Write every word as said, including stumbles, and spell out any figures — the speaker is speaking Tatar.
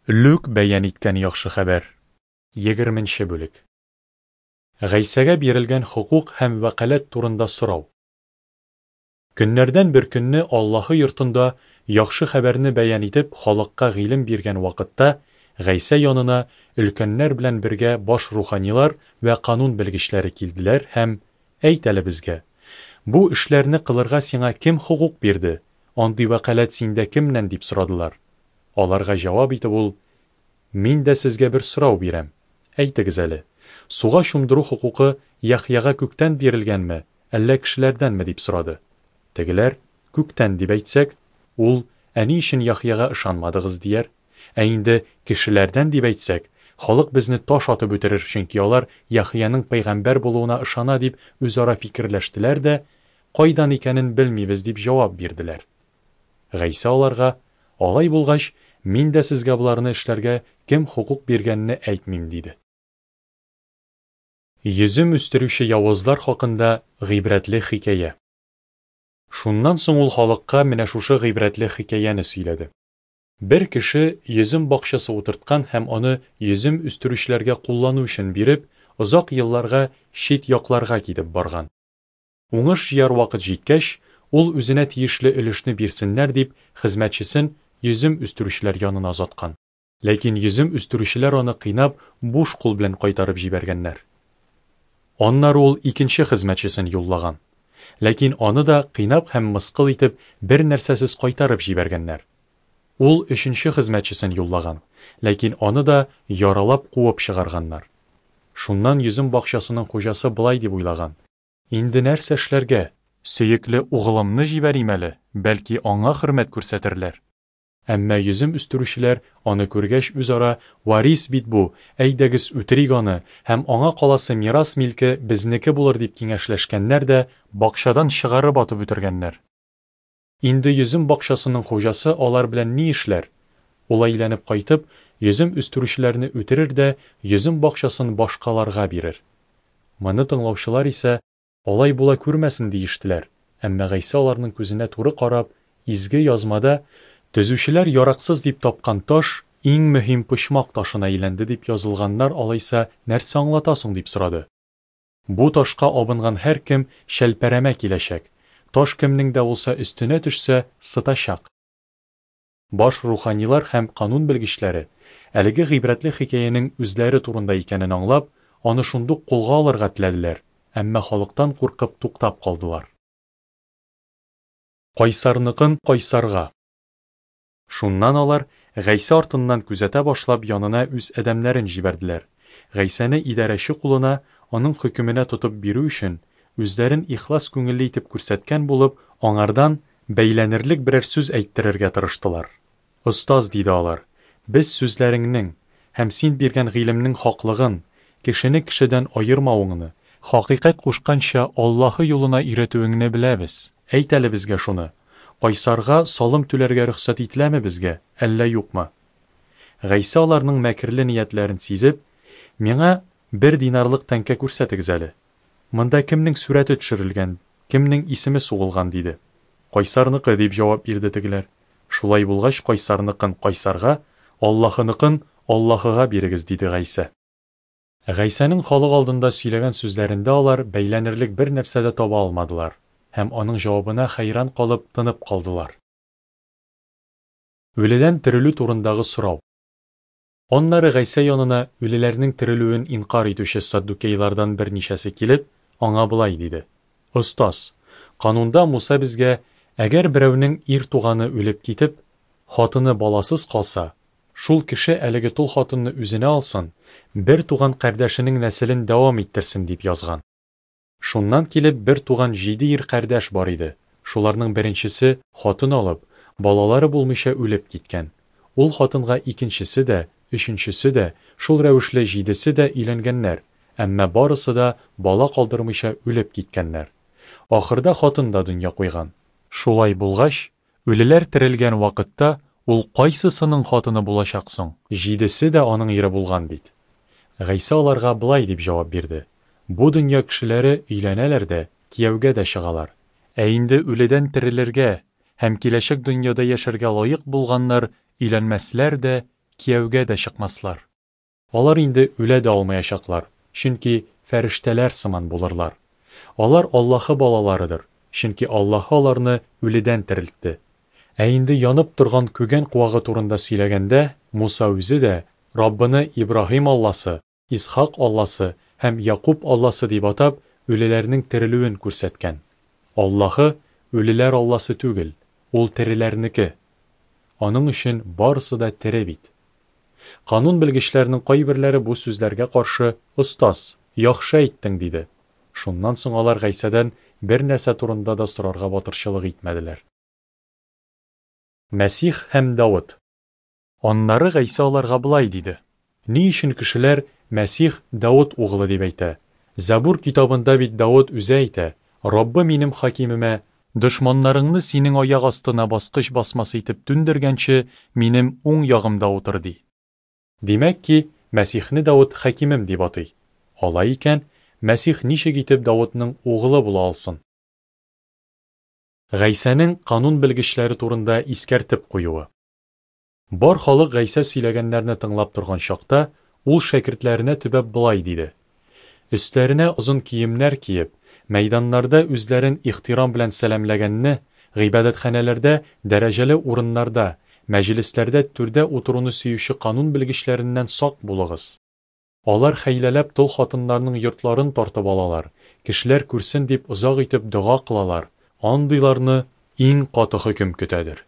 Лүк бәян иткән Яхшы хәбәр. Егерменче бүлек. Гайсәгә бирелгән хокук һәм вәкаләт турында сорау. Көннәрдән бер көнне Аллаһы йортында Яхшы хәбәрне бәян итеп, халыкка гыйлем биргән вакытта, Гайсә янына өлкәннәр белән бергә баш руханилар вә канун белгечләре килделәр һәм: Әйт әле безгә, бу эшләрне кылырга сиңа кем хокук бирде? Андый вәкаләт синдә кемнән? дип сорадылар. Аларга җавап итеп ул: Мин дә сезгә бер сорау бирәм. Әйтегез әле, суга чумдыру хокукы Яхъяга күктән бирелгәнме, әллә кешеләрдәнме? дип сорады. Тегеләр: Күктән, дип әйтсәк, ул: Ә ни өчен Яхъяга ышанмадыгыз? дияр. Ә инде кешеләрдән дип әйтсәк, халык безне таш атып үтерер, чөнки алар Яхъяның пәйгамбәр булуына ышана, дип үзара фикерләштеләр дә, кайдан икәнен белмибез, дип җавап бирделәр. Гайсә аларга: Алай булгач, мин дә сезгә боларны эшләргә кем хокук биргәнне әйтмим, диде. Йөзем үстерүче явызлар хакында гыйбрәтле хикәя. Шуннан соң ул халыкка менә шушы гыйбрәтле хикәяне сөйләде. Бер кеше йөзем бакчасы утырткан һәм аны йөзем үстерүчеләргә куллану өчен биреп, озак елларга чит якларга китеп барган. Уңыш җыяр вакыт җиткәч, ул үзенә тиешле өлешне бирсеннәр дип, хезмәтчесен йөзем үстерүчеләр янына озаткан. Ләкин йөзем үстерүчеләр аны кыйнап, буш кул белән кайтарып җибәргәннәр. Аннары ул икенче хезмәтчесен юллаган. Ләкин аны да кыйнап һәм мыскыл итеп, бер нәрсәсез кайтарып җибәргәннәр. Ул өченче хезмәтчесен юллаган, ләкин аны да яралап куып чыгарганнар. Шуннан йөзем бакчасының хуҗасы болай дип уйлаган: Инде нәрсә эшләргә? Сөекле угылымны җибәрим әле, бәлки аңа хөрмәт күрсәтерләр. Әмма йөзем үстерүчеләр аны күргәч үзара: Варис бит бу, әйдәгез үтерик аны, һәм аңа каласы мирас милке безнеке булыр, дип киңәшләшкәннәр дә бакчадан чыгарып атып үтергәннәр. Инде йөзем бакчасының хуҗасы алар белән ни эшләр? Ул әйләнеп кайтып, йөзем үстерүчеләрне үтерер дә йөзем бакчасын башкаларга бирер. Моны тыңлаучылар исә: Алай була күрмәсен, диештеләр. Әмма Гайсә аларның күзенә туры карап: Изге язмада төзүчеләр яраксыз дип тапкан таш иң мөһим почмак ташына әйләнде дип язылганнар алайса нәрсә аңлата соң, дип сорады. Бу ташка абынган һәркем шәлпәрәмә киләчәк. Таш кемнең дә булса өстенә төшсә, сытачак. Баш руханилар һәм канун белгечләре әлеге гыйбрәтле хикәянең үзләре турында икәнен аңлап, аны шундук кулга алырга теләделәр, әмма халыктан куркып туктап калдылар. Кайсарныкын кайсарга. Шуннан алар Гайсә артыннан күзәтә башлап янына үз адәмнәрен җибәрделәр. Гайсәне идарәче кулына, аның хөкеменә тотып бирү өчен, үзләрен ихлас күңелле итеп күрсәткән булып, аңардан бәйләнерлек берәр сүз әйттерергә тырыштылар. Остаз, диде алар, без сүзләреңнең һәм син биргән гыйлемнең хаклыгын, кешене кешедән аермавыңны, хакыйкать кушканча Аллаһы юлына өйрәтүеңне беләбез. Әйт әле безгә шуны: Кайсарга салым түләргә рөхсәт ителәме безгә, әллә юкмы? Гайсә аларның мәкерле ниятләрен сизеп: Миңа бер динарлык тәңкә күрсәтегез әле. Монда кемнең сурәте төшерелгән, кемнең исеме сугылган, диде. Кайсарныкы, дип җавап бирде тегеләр. Шулай булгач, кайсарныкын кайсарга, Аллаһыныкын Аллаһыга бирегез, диде Гайсә. Гайсәнең халык алдында сөйләгән сүзләрендә алар бәйләнерлек бер нәрсә дә таба алмадылар һәм аның җавабына хәйран калып тынып калдылар. Үледән терелү турындагы сорау. Аннары Гайсә янына үлеләрнең терелүен инкар итүче саддукейлардан берничәсе килеп, аңа болай диде: Остаз, канунда Муса безгә, әгәр берәүнең ир туганы үлеп китеп, хатыны баласыз калса, шул кеше әлеге тол хатынны үзенә алсын, бер туган кардәшенең нәселен дәвам иттерсен, дип язган. Шуннан килеп бер туган җиде ир кардәш бар иде. Шуларның беренчесе хатын алып, балалары булмыйча үлеп киткән. Ул хатынга икенчесе дә, өченчесе дә, шул рәвешле җидесе дә өйләнгәннәр, әмма барысы да бала калдырмыйча үлеп киткәннәр. Ахырда хатын да дөнья куйган. Шулай булгач, үлеләр терелгән вакытта ул кайсысының хатыны булачак соң? Җидесе дә аның ире булган бит. Гайсә аларга болай дип җавап бирде: Бу дөнья кешеләре өйләнәләр дә, кияүгә дә чыгалар. Ә инде үледән терелергә һәм киләчәк дөньяда яшәргә лаек булганнар өйләнмәсләр дә, кияүгә дә чыкмаслар. Алар инде үлә дә алмаячаклар, чөнки фәрештәләр сыман булырлар. Алар Аллаһы балаларыдыр, чөнки Аллаһы аларны үледән терелтте. Ә инде янып торган күгән куагы турында сөйләгәндә, Муса үзе дә Раббыны Ибраһим Алласы, Исхак Алласы һәм Якуб Алласы дип атап, үлеләрнең терелүен күрсәткән. Аллаһы үлеләр Алласы түгел, ул тереләрнеке. Аның өчен барысы да тере бит. Канун белгечләренең кайберләре бу сүзләргә каршы: "Остаз, яхшы әйттең", диде. Шуннан соң алар Гайсәдән бер нәрсә турында да сорарга батырчылык итмәделәр. Мәсих һәм Давыт. Аннары Гайсә аларга болай диде: Ни өчен кешеләр Мәсих Давыт углы дип әйтә? Зәбур китабында бит Давыт үзе әйтә: Раббы минем хакимемә, дошманнарыңны синең аяк астына баскыч басмасы итеп түндергәнче, минем уң ягымда утыр, ди. Димәк ки, Мәсихне Давыт хакимем дип атый. Алай икән, Мәсих ничек итеп Давытның углы була алсын? Гайсәнең канун белгечләре турында искәртеп куюы. Бар халык Гайсә сөйләгәннәрне тыңлап торган чакта, ул шәкертләренә төбәп болай диде: Өсләренә озын киемнәр киеп, мәйданнарда үзләрен ихтирам белән сәламләгәнне, гыйбадәтханәләрдә дәрәҗәле урыннарда, мәҗлесләрдә түрдә утыруны сөюче канун белгечләреннән сак булыгыз. Алар хәйләләп тол хатыннарның йортларын тартып алалар, кешеләр күрсен дип озак итеп дога кылалар. Андыйларны иң каты хөкем көтәдер.